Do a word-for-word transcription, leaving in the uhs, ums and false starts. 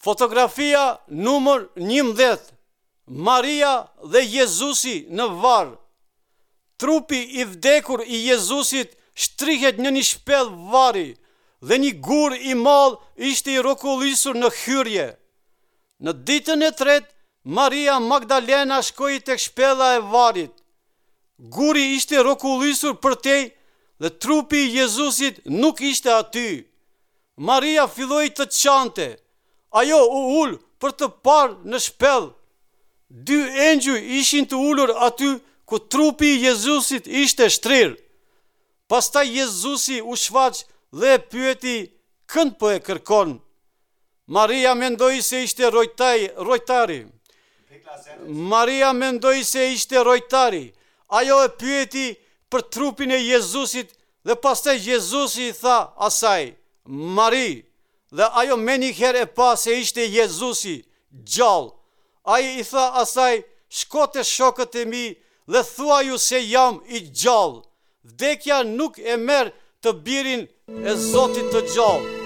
Fotografia numër njëmbëdhjetë. Maria dhe Jezusi në varr. Trupi i vdekur i Jezusit shtrihet në një shpellë varri dhe një gur i madh ishte i rrokullisur në hyrje. Në ditën e tretë, Maria Magdalena shkoi tek shpella e varrit. Guri ishte rrokullisur përtej dhe trupi i Jezusit nuk ishte aty. Maria filloi të qante. Ajo u ul për të parë në shpellë. Dy engjuj ishin të ulur aty ku trupi i Jezusit ishte shtrirë. Pastaj Jezusi u shfaq dhe e pyeti: "Kënd po e kërkon?" Maria mendoi se ishte rojtaj, rojtari. Maria mendoi se ishte rojtari. Ajo e pyeti për trupin e Jezusit dhe pastaj Jezusi i tha asaj: "Mari." Dhe ajo menjëherë e pa se ishte Jezusi, gjallë. Ai i tha asaj: "Shko te shokët e mi dhe thuaju se jam i gjallë. Vdekja nuk e merr të birin e Zotit të gjallë."